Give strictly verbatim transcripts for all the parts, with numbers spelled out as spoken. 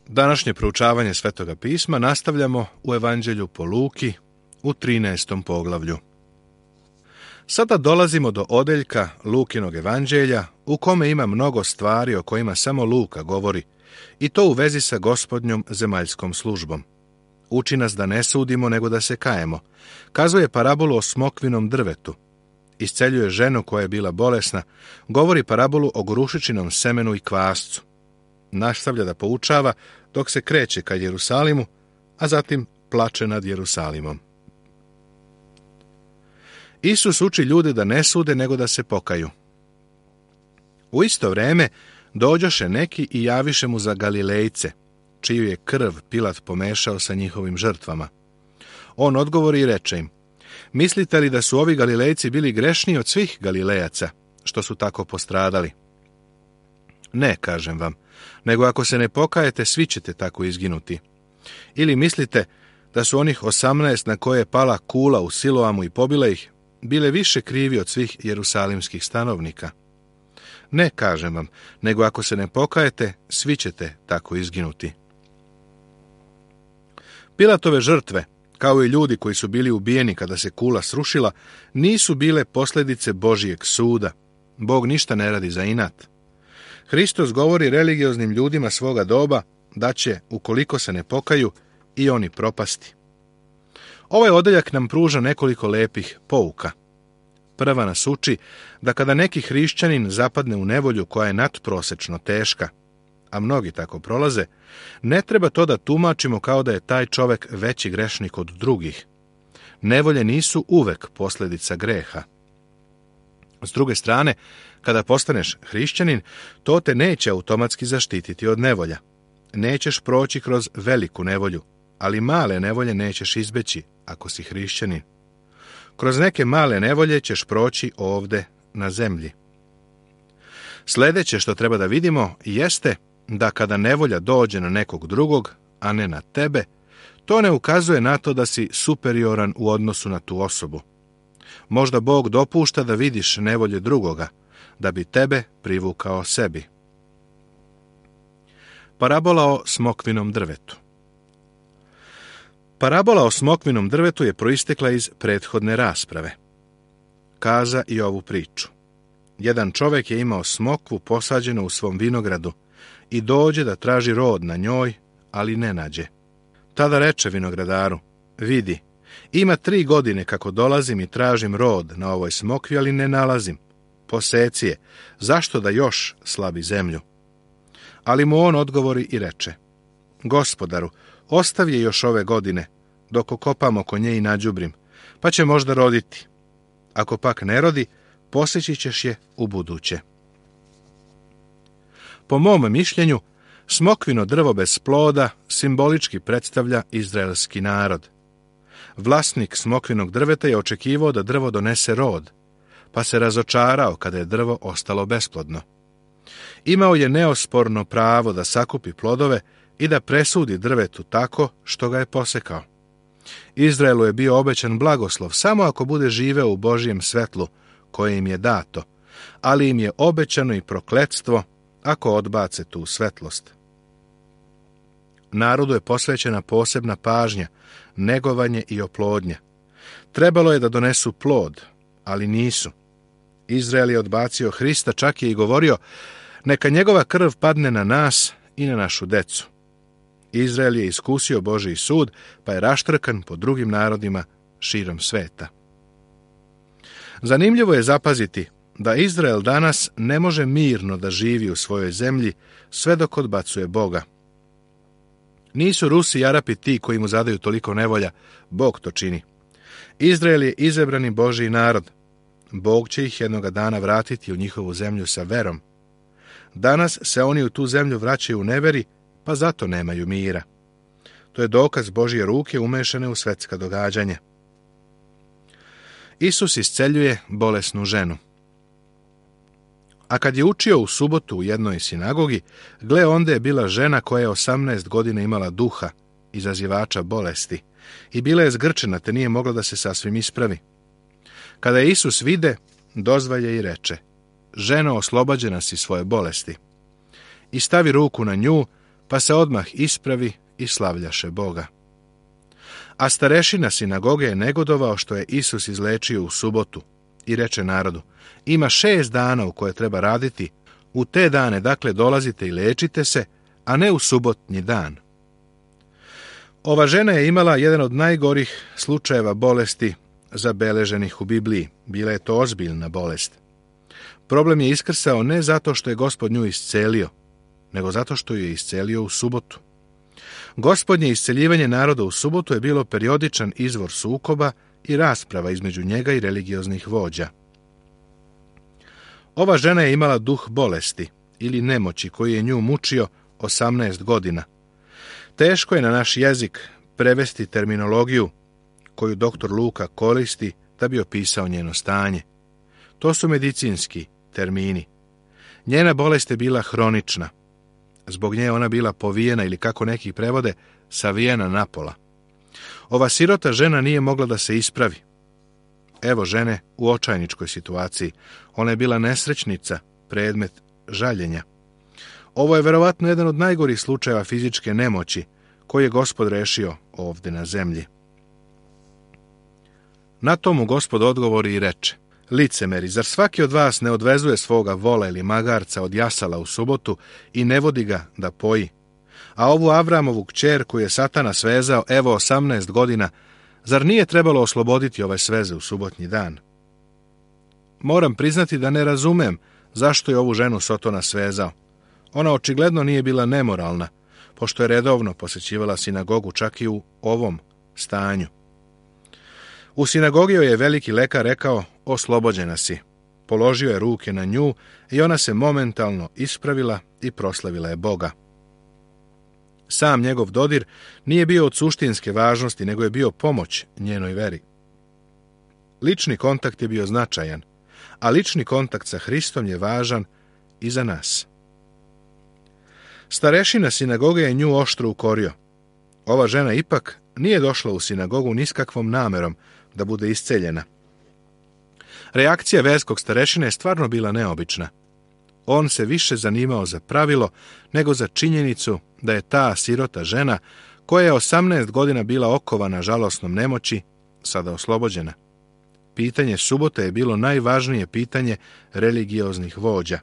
Današnje proučavanje Svetoga pisma nastavljamo u Evanđelju po Luki u trinaestom poglavlju. Sada dolazimo do odeljka Lukinog evanđelja u kome ima mnogo stvari o kojima samo Luka govori, i to u vezi sa Gospodnjom zemaljskom službom. Uči nas da ne sudimo nego da se kajemo. Kazuje parabolu o smokvinom drvetu. Isceljuje ženu koja je bila bolesna. Govori parabolu o gorušičinom semenu i kvascu. Nastavlja da poučava dok se kreće ka Jerusalimu, a zatim plače nad Jerusalimom. Isus uči ljude da ne sude nego da se pokaju. U isto vreme dođoše neki i javiše mu za Galilejce, čiju je krv Pilat pomešao sa njihovim žrtvama. On odgovori i reče im: mislite li da su ovi Galilejci bili grešniji od svih Galilejaca, što su tako postradali? Ne, kažem vam, nego ako se ne pokajete, svi ćete tako izginuti. Ili mislite da su onih osamnaest na koje je pala kula u Siloamu i pobila ih, bile više krivi od svih jerusalimskih stanovnika? Ne, kažem vam, nego ako se ne pokajete, svi ćete tako izginuti. Pilatove žrtve, kao i ljudi koji su bili ubijeni kada se kula srušila, nisu bile posljedice Božijeg suda. Bog ništa ne radi za inat. Hristos govori religioznim ljudima svoga doba da će, ukoliko se ne pokaju, i oni propasti. Ovaj odeljak nam pruža nekoliko lepih pouka. Prva nas uči da kada neki hrišćanin zapadne u nevolju koja je nadprosečno teška, a mnogi tako prolaze, ne treba to da tumačimo kao da je taj čovek veći grešnik od drugih. Nevolje nisu uvek posljedica greha. S druge strane, kada postaneš hrišćanin, to te neće automatski zaštititi od nevolja. Nećeš proći kroz veliku nevolju, ali male nevolje nećeš izbeći ako si hrišćanin. Kroz neke male nevolje ćeš proći ovde na zemlji. Sljedeće što treba da vidimo jeste da kada nevolja dođe na nekog drugog, a ne na tebe, to ne ukazuje na to da si superioran u odnosu na tu osobu. Možda Bog dopušta da vidiš nevolje drugoga, da bi tebe privukao sebi. Parabola o smokvinom drvetu. Parabola o smokvinom drvetu je proistekla iz prethodne rasprave. Kaza i ovu priču. Jedan čovjek je imao smokvu posađenu u svom vinogradu i dođe da traži rod na njoj, ali ne nađe. Tada reče vinogradaru: vidi, ima tri godine kako dolazim i tražim rod na ovoj smokvi, ali ne nalazim. Poseci je, zašto da još slabi zemlju? Ali mu on odgovori i reče: Gospodaru, ostavi je još ove godine, dok okopam oko nje i nađubrim, pa će možda roditi. Ako pak ne rodi, poseći ćeš je u buduće. Po mom mišljenju, smokvino drvo bez ploda simbolički predstavlja izraelski narod. Vlasnik smokvinog drveta je očekivao da drvo donese rod, pa se razočarao kada je drvo ostalo besplodno. Imao je neosporno pravo da sakupi plodove i da presudi drvetu tako što ga je posekao. Izraelu je bio obećan blagoslov samo ako bude živeo u Božijem svetlu koje im je dato, ali im je obećano i prokletstvo ako odbace tu svetlost. Narodu je posvećena posebna pažnja, negovanje i oplodnja. Trebalo je da donesu plod, ali nisu. Izrael je odbacio Hrista, čak je i govorio: neka njegova krv padne na nas i na našu decu. Izrael je iskusio Božji sud, pa je raštrkan po drugim narodima širom sveta. Zanimljivo je zapaziti da Izrael danas ne može mirno da živi u svojoj zemlji sve dok odbacuje Boga. Nisu Rusi i Arapi ti koji mu zadaju toliko nevolja, Bog to čini. Izrael je izabrani Božji narod. Bog će ih jednoga dana vratiti u njihovu zemlju sa verom. Danas se oni u tu zemlju vraćaju u neveri, pa zato nemaju mira. To je dokaz Božje ruke umešane u svetska događanja. Isus isceljuje bolesnu ženu. A kad je učio u subotu u jednoj sinagogi, gle, onda je bila žena koja je osamnaest godina imala duha, izazivača bolesti, i bila je zgrčena, te nije mogla da se sasvim ispravi. Kada je Isus vide, dozvalje i reče: ženo, oslobađena si svoje bolesti. I stavi ruku na nju, pa se odmah ispravi i slavljaše Boga. A starešina sinagoge je negodovao što je Isus izlečio u subotu i reče narodu: ima šest dana u koje treba raditi, u te dane dakle dolazite i lečite se, a ne u subotnji dan. Ova žena je imala jedan od najgorih slučajeva bolesti zabeleženih u Bibliji. Bila je to ozbiljna bolest. Problem je iskrsao ne zato što je Gospod nju iscelio, nego zato što ju je iscelio u subotu. Gospodnje isceljivanje naroda u subotu je bilo periodičan izvor sukoba i rasprava između njega i religioznih vođa. Ova žena je imala duh bolesti ili nemoći koji je nju mučio osamnaest godina. Teško je na naš jezik prevesti terminologiju koju doktor Luka koristi da bi opisao njeno stanje. To su medicinski termini. Njena bolest je bila hronična. Zbog nje ona bila povijena ili, kako neki prevode, savijena napola. Ova sirota žena nije mogla da se ispravi. Evo žene u očajničkoj situaciji. Ona je bila nesrećnica, predmet žaljenja. Ovo je verovatno jedan od najgorih slučajeva fizičke nemoći koji je Gospod rešio ovdje na zemlji. Na to mu Gospod odgovori i reče: licemeri, zar svaki od vas ne odvezuje svoga vola ili magarca od jasala u subotu i ne vodi ga da poji? A ovu Avramovu kćer koju je Satana svezao evo osamnaest godina, zar nije trebalo osloboditi ove sveze u subotnji dan? Moram priznati da ne razumem zašto je ovu ženu Sotona svezao. Ona očigledno nije bila nemoralna, pošto je redovno posjećivala sinagogu čak i u ovom stanju. U sinagogi joj je veliki lekar rekao: oslobođena si. Položio je ruke na nju i ona se momentalno ispravila i proslavila je Boga. Sam njegov dodir nije bio od suštinske važnosti, nego je bio pomoć njenoj veri. Lični kontakt je bio značajan, a lični kontakt sa Hristom je važan i za nas. Starešina sinagoge je nju oštro ukorio. Ova žena ipak nije došla u sinagogu ni s kakvom namerom da bude isceljena. Reakcija verskog starešine je stvarno bila neobična. On se više zanimao za pravilo nego za činjenicu da je ta sirota žena, koja je osamnaest godina bila okovana žalosnom nemoći, sada oslobođena. Pitanje subote je bilo najvažnije pitanje religioznih vođa.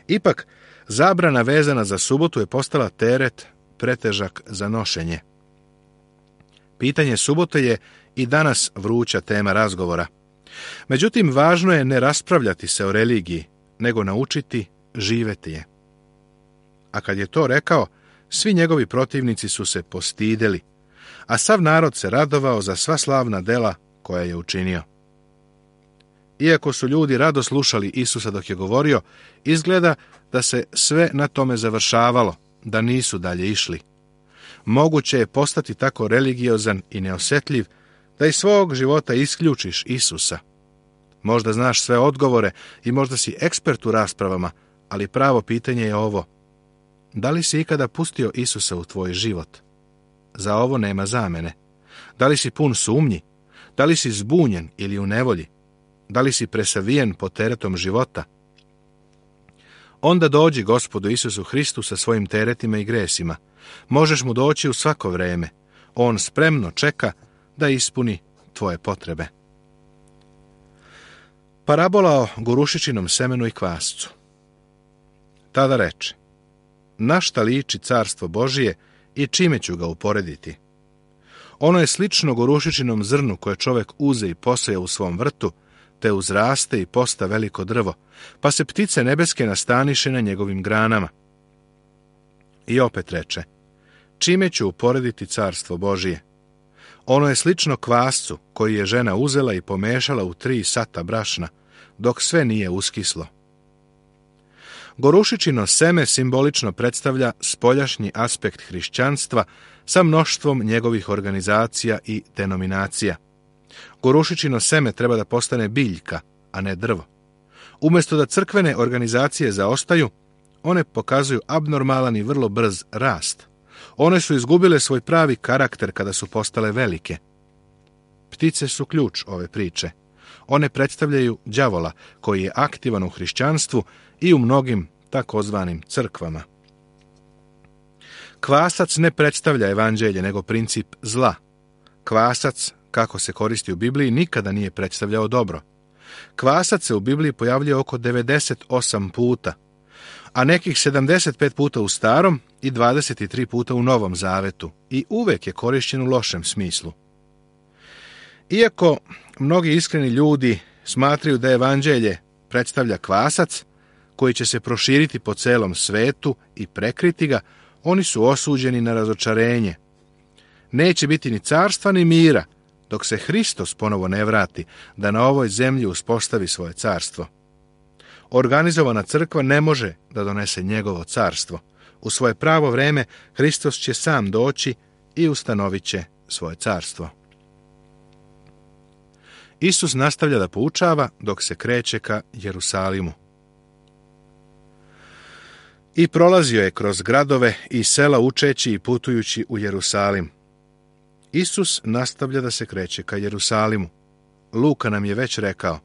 Ipak, zabrana vezana za subotu je postala teret pretežak za nošenje. Pitanje subote je i danas vruća tema razgovora. Međutim, važno je ne raspravljati se o religiji, nego naučiti živjeti je. A kad je to rekao, svi njegovi protivnici su se postideli, a sav narod se radovao za sva slavna dela koja je učinio. Iako su ljudi rado slušali Isusa dok je govorio, izgleda da se sve na tome završavalo, da nisu dalje išli. Moguće je postati tako religiozan i neosjetljiv da iz svog života isključiš Isusa. Možda znaš sve odgovore i možda si ekspert u raspravama, ali pravo pitanje je ovo: da li si ikada pustio Isusa u tvoj život? Za ovo nema zamene. Da li si pun sumnji? Da li si zbunjen ili u nevolji? Da li si presavijen pod teretom života? Onda dođi Gospodu Isusu Hristu sa svojim teretima i gresima. Možeš mu doći u svako vreme. On spremno čeka da ispuni tvoje potrebe. Parabola o gorušičinom semenu i kvascu. Tada reče: na šta liči carstvo Božije i čime ću ga uporediti? Ono je slično gorušičinom zrnu koje čovjek uze i poseje u svom vrtu, te uzraste i posta veliko drvo, pa se ptice nebeske nastaniše na njegovim granama. I opet reče: čime ću uporediti carstvo Božije? Ono je slično kvascu koji je žena uzela i pomešala u tri sata brašna, dok sve nije uskislo. Gorušičino seme simbolično predstavlja spoljašnji aspekt hrišćanstva sa mnoštvom njegovih organizacija i denominacija. Gorušičino seme treba da postane biljka, a ne drvo. Umjesto da crkvene organizacije zaostaju, one pokazuju abnormalan i vrlo brz rast. One su izgubile svoj pravi karakter kada su postale velike. Ptice su ključ ove priče. One predstavljaju đavola koji je aktivan u hrišćanstvu i u mnogim takozvanim crkvama. Kvasac ne predstavlja evanđelje, nego princip zla. Kvasac, kako se koristi u Bibliji, nikada nije predstavljao dobro. Kvasac se u Bibliji pojavljuje oko devedeset osam puta, a nekih sedamdeset pet puta u Starom i dvadeset tri puta u Novom Zavetu, i uvek je korišćen u lošem smislu. Iako mnogi iskreni ljudi smatraju da evanđelje predstavlja kvasac koji će se proširiti po celom svetu i prekriti ga, oni su osuđeni na razočarenje. Neće biti ni carstva ni mira dok se Hristos ponovo ne vrati da na ovoj zemlji uspostavi svoje carstvo. Organizovana crkva ne može da donese njegovo carstvo. U svoje pravo vreme Hristos će sam doći i ustanovit će svoje carstvo. Isus nastavlja da poučava dok se kreće ka Jerusalimu. I prolazio je kroz gradove i sela učeći i putujući u Jerusalim. Isus nastavlja da se kreće ka Jerusalimu. Luka nam je već rekao,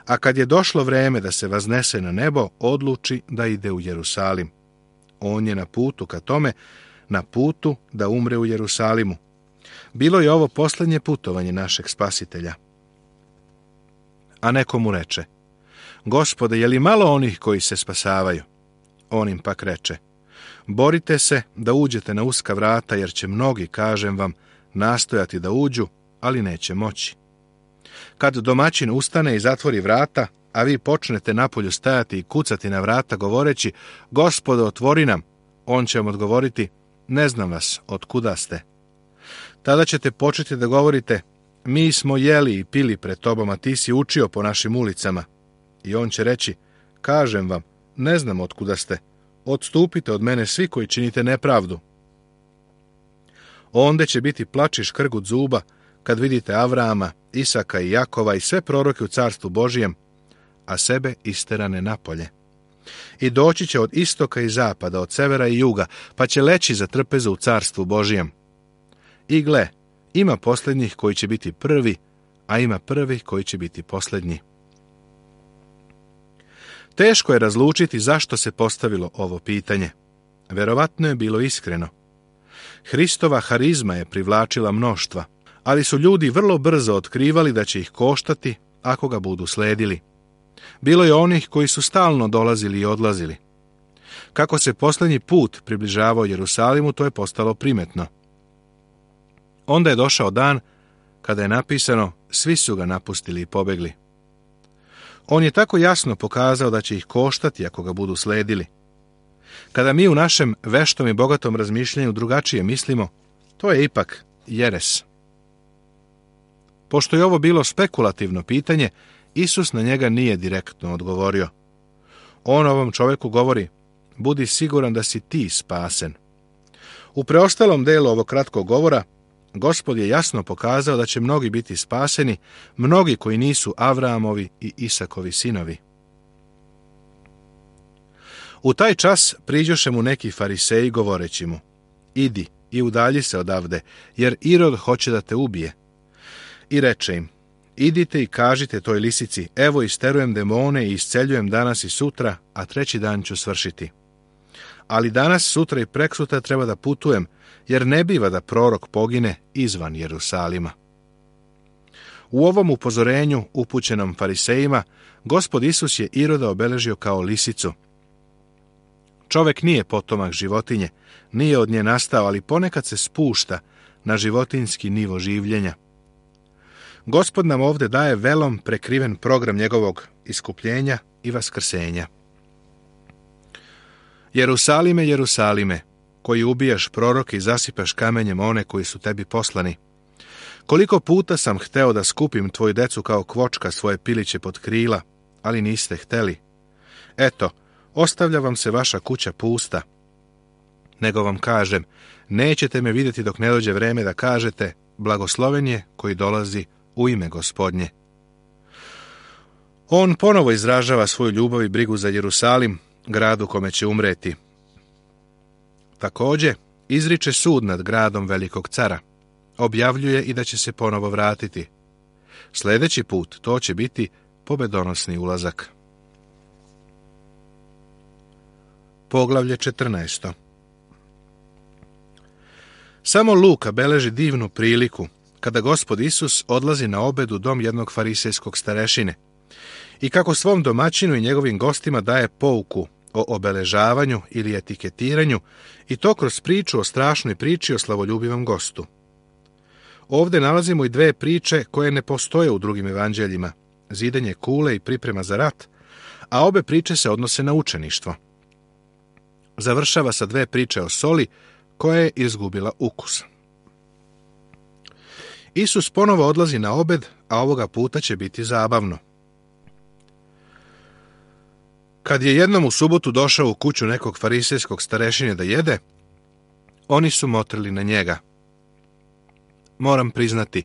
a kad je došlo vreme da se vaznese na nebo, odluči da ide u Jerusalim. On je na putu ka tome, na putu da umre u Jerusalimu. Bilo je ovo posljednje putovanje našeg Spasitelja. A neko mu reče, Gospode, je li malo onih koji se spasavaju? On im pak reče, borite se da uđete na uska vrata, jer će mnogi, kažem vam, nastojati da uđu, ali neće moći. Kad domaćin ustane i zatvori vrata, a vi počnete napolju stajati i kucati na vrata, govoreći, Gospodo, otvori nam, on će vam odgovoriti, ne znam vas, otkuda ste. Tada ćete početi da govorite, mi smo jeli i pili pred tobom, a ti si učio po našim ulicama. I on će reći, kažem vam, ne znam otkuda ste, odstupite od mene svi koji činite nepravdu. Onda će biti plač i škrgut zuba kad vidite Avrama, Isaka i Jakova i sve proroke u carstvu Božijem, a sebe isterane napolje. I doći će od istoka i zapada, od severa i juga, pa će leći za trpezu u carstvu Božijem. I gle, ima posljednjih koji će biti prvi, a ima prvih koji će biti posljednji. Teško je razlučiti zašto se postavilo ovo pitanje. Verovatno je bilo iskreno. Hristova harizma je privlačila mnoštva, ali su ljudi vrlo brzo otkrivali da će ih koštati ako ga budu sledili. Bilo je onih koji su stalno dolazili i odlazili. Kako se posljednji put približavao Jerusalimu, to je postalo primetno. Onda je došao dan kada je napisano, svi su ga napustili i pobegli. On je tako jasno pokazao da će ih koštati ako ga budu sledili. Kada mi u našem veštom i bogatom razmišljanju drugačije mislimo, to je ipak jeres. Pošto je ovo bilo spekulativno pitanje, Isus na njega nije direktno odgovorio. On ovom čovjeku govori, budi siguran da si ti spasen. U preostalom delu ovog kratkog govora, Gospod je jasno pokazao da će mnogi biti spaseni, mnogi koji nisu Avramovi i Isakovi sinovi. U taj čas priđoše mu neki fariseji govoreći mu, idi i udalji se odavde, jer Irod hoće da te ubije. I reče im, idite i kažite toj lisici, evo isterujem demone i isceljujem danas i sutra, a treći dan ću svršiti. Ali danas, sutra i preksutra treba da putujem, jer ne biva da prorok pogine izvan Jerusalima. U ovom upozorenju, upućenom farisejima, Gospod Isus je Iroda obeležio kao lisicu. Čovek nije potomak životinje, nije od nje nastao, ali ponekad se spušta na životinjski nivo življenja. Gospod nam ovdje daje velom prekriven program njegovog iskupljenja i vaskrsenja. Jerusalime, Jerusalime, koji ubijaš proroke i zasipaš kamenjem one koji su tebi poslani. Koliko puta sam hteo da skupim tvoju decu kao kvočka svoje piliće pod krila, ali niste hteli. Eto, ostavlja vam se vaša kuća pusta. Nego vam kažem, nećete me vidjeti dok ne dođe vreme da kažete, blagosloven je koji dolazi u ime Gospodnje. On ponovo izražava svoju ljubav i brigu za Jerusalim, gradu kome će umreti. Također, izriče sud nad gradom velikog cara. Objavljuje i da će se ponovo vratiti. Sljedeći put to će biti pobedonosni ulazak. Poglavlje četrnaesto. Samo Luka beleži divnu priliku kada Gospod Isus odlazi na obed u dom jednog farisejskog starešine i kako svom domaćinu i njegovim gostima daje pouku o obeležavanju ili etiketiranju, i to kroz priču o strašnoj priči o slavoljubivom gostu. Ovdje nalazimo i dve priče koje ne postoje u drugim evanđeljima, zidanje kule i priprema za rat, a obe priče se odnose na učeništvo. Završava sa dve priče o soli koja je izgubila ukus. Isus ponovo odlazi na obed, a ovoga puta će biti zabavno. Kad je jednom u subotu došao u kuću nekog farisejskog starešine da jede, oni su motrili na njega. Moram priznati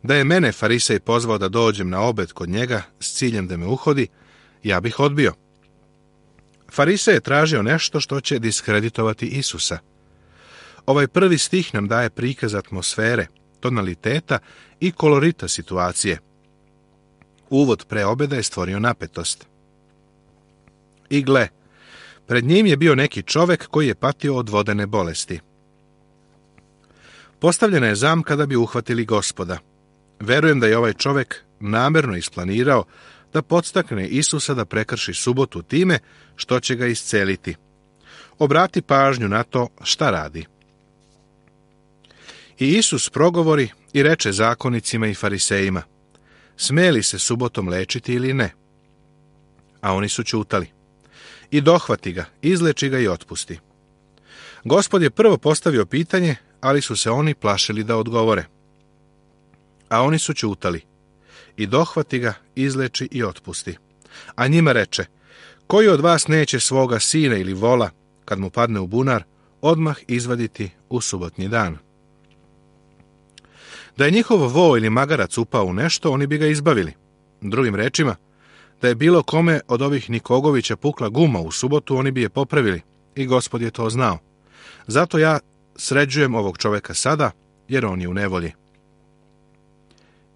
da je mene farisej pozvao da dođem na obed kod njega s ciljem da me uhodi, ja bih odbio. Farisej je tražio nešto što će diskreditovati Isusa. Ovaj prvi stih nam daje prikaz atmosfere, tonaliteta i kolorita situacije. Uvod pre obeda je stvorio napetost. I gle, pred njim je bio neki čovek koji je patio od vodene bolesti. Postavljena je zamka da bi uhvatili Gospoda. Verujem da je ovaj čovek namerno isplanirao da podstakne Isusa da prekrši subotu time što će ga isceliti. Obrati pažnju na to šta radi. I Isus progovori i reče zakonicima i farisejima: sme li se subotom lečiti ili ne? A oni su ćutali. I dohvati ga, izleči ga i otpusti. Gospod je prvo postavio pitanje, ali su se oni plašili da odgovore. A oni su ćutali. I dohvati ga, izleči i otpusti. A njima reče: koji od vas neće svoga sina ili vola, kad mu padne u bunar, odmah izvaditi u subotnji dan? Da je njihov vo ili magarac upao u nešto, oni bi ga izbavili. Drugim rečima, da je bilo kome od ovih Nikogovića pukla guma u subotu, oni bi je popravili, i Gospod je to znao. Zato ja sređujem ovog čoveka sada, jer on je u nevolji.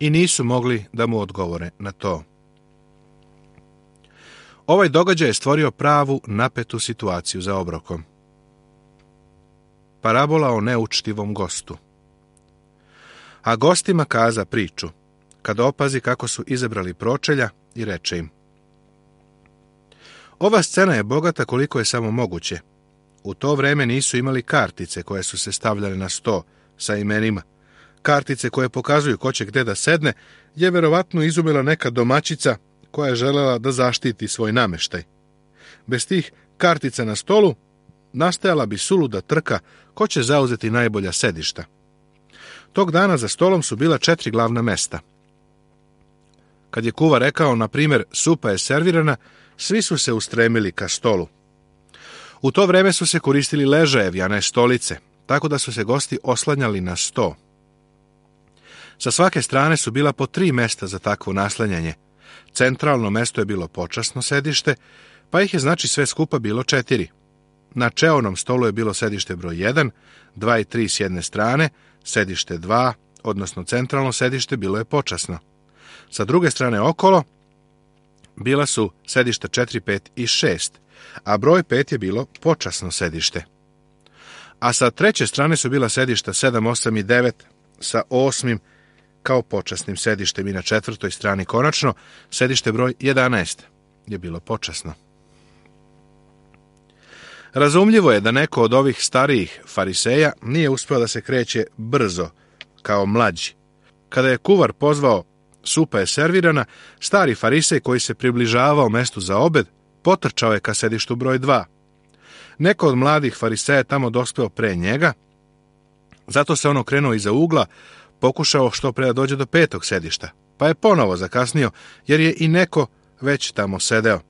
I nisu mogli da mu odgovore na to. Ovaj događaj je stvorio pravu napetu situaciju za obrokom. Parabola o neučtivom gostu. A gostima kaza priču, kad opazi kako su izabrali pročelja, i reče im: ova scena je bogata koliko je samo moguće. U to vreme nisu imali kartice koje su se stavljale na sto sa imenima. Kartice koje pokazuju ko će gde da sedne je verovatno izumila neka domaćica koja je želela da zaštiti svoj nameštaj. Bez tih kartica na stolu nastajala bi suluda trka ko će zauzeti najbolja sedišta. Tog dana za stolom su bila četiri glavna mesta. Kad je kuva rekao, na primjer, supa je servirana, svi su se ustremili ka stolu. U to vreme su se koristili ležajevi, a ne stolice, tako da su se gosti oslanjali na sto. Sa svake strane su bila po tri mesta za takvo naslanjanje. Centralno mesto je bilo počasno sedište, pa ih je znači sve skupa bilo četiri. Na čeonom stolu je bilo sedište broj jedan, dva i tri s jedne strane, sedište dva, odnosno centralno sedište, bilo je počasno. Sa druge strane okolo bila su sedišta četiri, pet i šest, a broj pet je bilo počasno sedište. A sa treće strane su bila sedišta sedam, osam i devet sa osmim kao počasnim sedištem, i na četvrtoj strani konačno sedište broj jedanaest je bilo počasno. Razumljivo je da neko od ovih starijih fariseja nije uspeo da se kreće brzo kao mlađi. Kada je kuvar pozvao supa je servirana, stari farisej koji se približavao mestu za obed potrčao je ka sedištu broj dva. Neko od mladih fariseja tamo dospeo pre njega, zato se on okrenuo iza ugla, pokušao što pre da dođe do petog sedišta, pa je ponovo zakasnio, jer je i neko već tamo sedeo.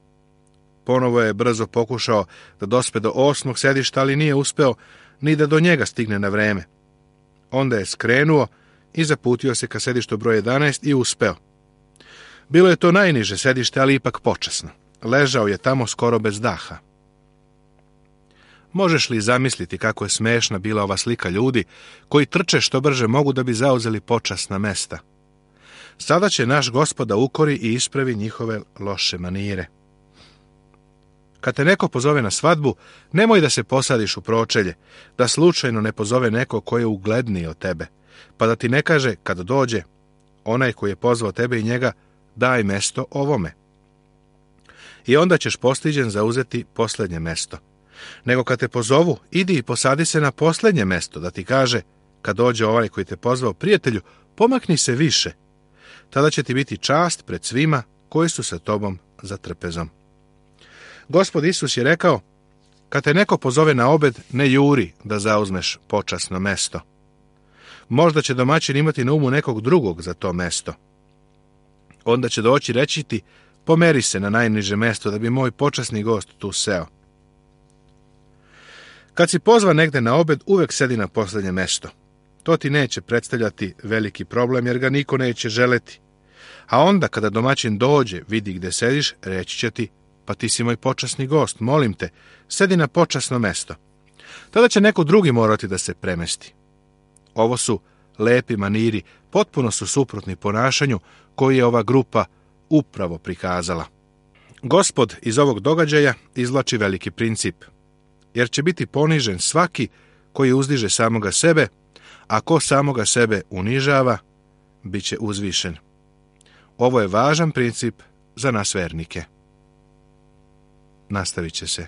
Ponovo je brzo pokušao da dospe do osmog sedišta, ali nije uspeo ni da do njega stigne na vreme. Onda je skrenuo i zaputio se ka sedištu broj jedanaest i uspeo. Bilo je to najniže sedište, ali ipak počasno. Ležao je tamo skoro bez daha. Možeš li zamisliti kako je smešna bila ova slika ljudi koji trče što brže mogu da bi zauzeli počasna mesta? Sada će naš Gospod da ukori i ispravi njihove loše manire. Kad te neko pozove na svadbu, nemoj da se posadiš u pročelje, da slučajno ne pozove neko ko je ugledniji od tebe, pa da ti ne kaže, kad dođe, onaj koji je pozvao tebe i njega, daj mesto ovome. I onda ćeš postiđen zauzeti posljednje mesto. Nego kad te pozovu, idi i posadi se na posljednje mesto, da ti kaže, kad dođe ovaj koji te pozvao, prijatelju, pomakni se više. Tada će ti biti čast pred svima koji su sa tobom za trpezom. Gospod Isus je rekao, kad te neko pozove na obed, ne juri da zauzmeš počasno mesto. Možda će domaćin imati na umu nekog drugog za to mesto. Onda će doći reći ti, pomeri se na najniže mesto da bi moj počasni gost tu seo. Kad si pozvan negde na obed, uvek sedi na posljednje mesto. To ti neće predstavljati veliki problem jer ga niko neće želeti. A onda kada domaćin dođe, vidi gde sediš, reći će ti, pa ti si moj počasni gost, molim te, sedi na počasno mesto. Tada će neko drugi morati da se premesti. Ovo su lepi maniri, potpuno su suprotni ponašanju koji je ova grupa upravo prikazala. Gospod iz ovog događaja izvlači veliki princip, jer će biti ponižen svaki koji uzdiže samoga sebe, a ko samoga sebe unižava, bit će uzvišen. Ovo je važan princip za nas vernike. Nastavit će se.